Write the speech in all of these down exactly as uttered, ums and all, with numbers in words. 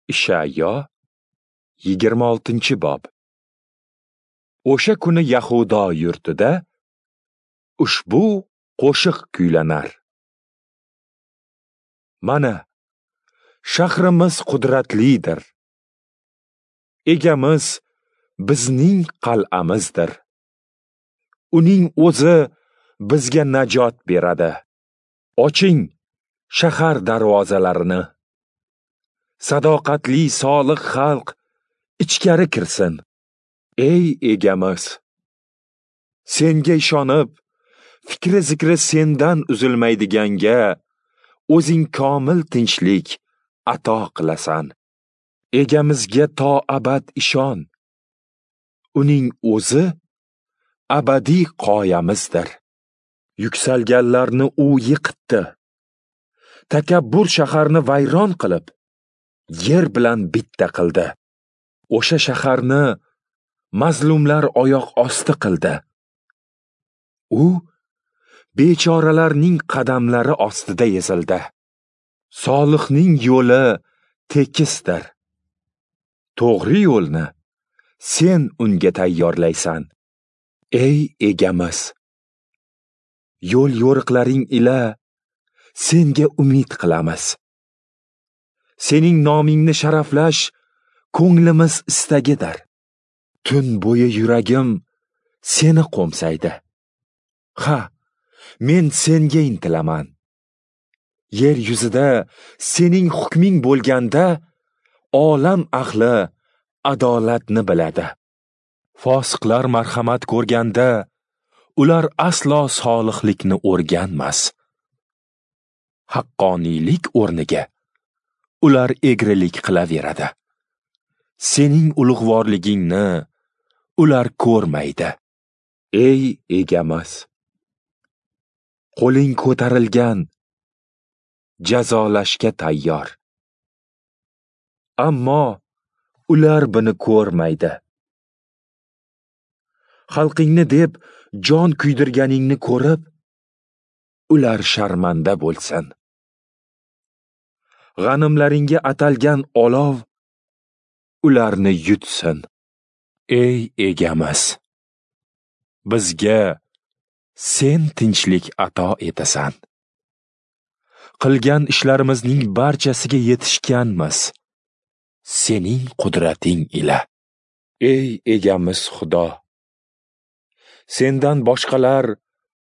Ishayo yigirma oltinchi bob. O'sha kuni Yahudo yurtida ushbu qo'shiq kuylanar. Mana, shahrimiz qudratlidir. Egamiz bizning qal'amizdir. Uning o'zi bizga najot beradi. Oching shahar darvozalarini. Sadoqatli solih xalq ichkari kirsin. Ey egamiz, senga ishonib, fikri zikri sendan uzilmaydiganga o'zing komil tinchlik ato qilasan. Egamizga to abad ishon. Uning o'zi abadiy qoyamizdir. Yuksalganlarni u yiqitdi. Takabbur shaharni vayron qilib, yer bilan bitta qildi. O'sha shaharni mazlumlar oyoq osti qildi. U bechoralarning qadamlari ostida ezildi. Solihning yo'li tekisdir. To'g'ri yo'lni sen unga tayyorlaysan. Ey egamiz, yo'l yo'riqlaring ila senga umid qilamiz. Sening nomingni sharaflash ko'nglimiz istagidir. Tun bo'yi yuragim seni qo'msaydi. Ha, men senga intilaman. Yer yuzida sening hukming bo'lganda olam ahli adolatni biladi. Fosiqlar marhamat ko'rganda ular aslo solihlikni o'rganmas. Haqqoniylik o'rniga ular egrilik qilaveradi. Sening ulug'vorligingni ular ko'rmaydi. Ey egamiz, qo'ling ko'tarilgan, jazolashga tayyor. Ammo ular buni ko'rmaydi. Xalqingni deb jon kuydirganingni ko'rib, ular sharmanda bo'lsin. G'animlaringga atalgan olov ularni yutsin. Ey egamiz, bizga sen tinchlik ato etasan. Qilgan ishlarimizning barchasiga yetishganmiz sening qudrating ila. Ey egamiz Xudo, sendan boshqalar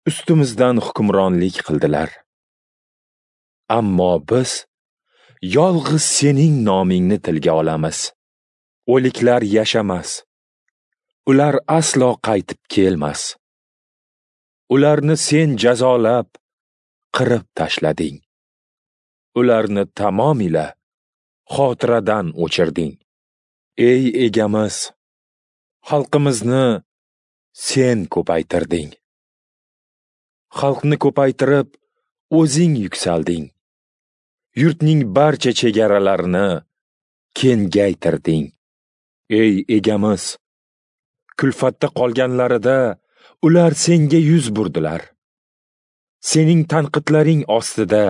ustimizdan hukmronlik qildilar. Ammo biz yolg'iz sening nomingni tilga olamiz. O'liklar yashamas. Ular aslo qaytib kelmas. Ularni sen jazolab, qirib tashlading. Ularni tamomila xotiradan o'chirding. Ey egamiz, xalqimizni sen ko'paytirding. Xalqni ko'paytirib, o'zing yuksalding. Yurtning barcha chegaralarini kengaytirding. Ey egamiz, kulfatda qolganlarida ular senga yuz burdilar. Sening tanqidlaring ostida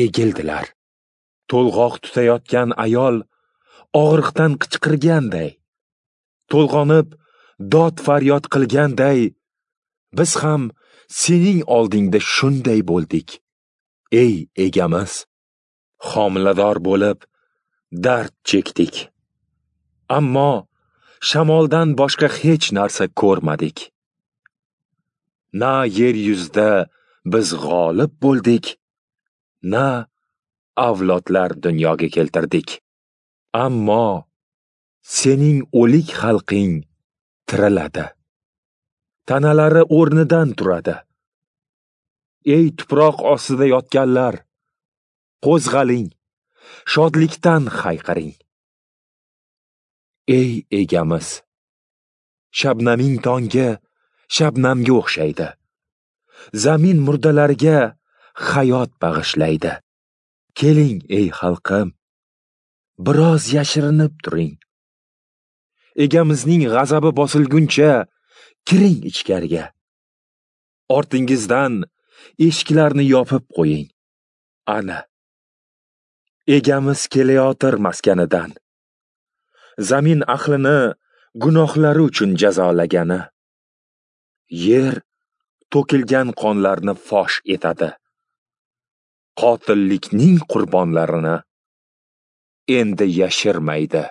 egildilar. To'lg'oq tutayotgan ayol og'riqdan qichqirganday, to'lg'onib dod faryod qilganday, biz ham sening oldingda shunday bo'ldik. Ey egamiz, homilador bo'lib dard chekdik. Ammo shamoldan boshqa hech narsa ko'rmadik. Na yer yuzida biz g'olib bo'ldik, na avlodlar dunyoga keltirdik. Ammo sening o'lik xalqing tiriladi. Tanalari o'rnidan turadi. Ey tuproq ostida yotganlar, qo'zg'aling, shodlikdan hayqiring. Ey egamiz, shabnaming tongga shabnamga o'xshaydi. Zamin murdalariga hayot bag'ishlaydi. Keling ey xalqim, biroz yashirinib turing. Egamizning g'azabi bosilguncha kiring ichkariga. Ortingizdan eshiklarni yopib qo'ying. Ana, Egamiz kelayotir maskanidan. Zamin ahlini gunohlari uchun jazolagani. Yer to'kilgan qonlarni fosh etadi. Qotillikning qurbonlarini endi yashirmaydi.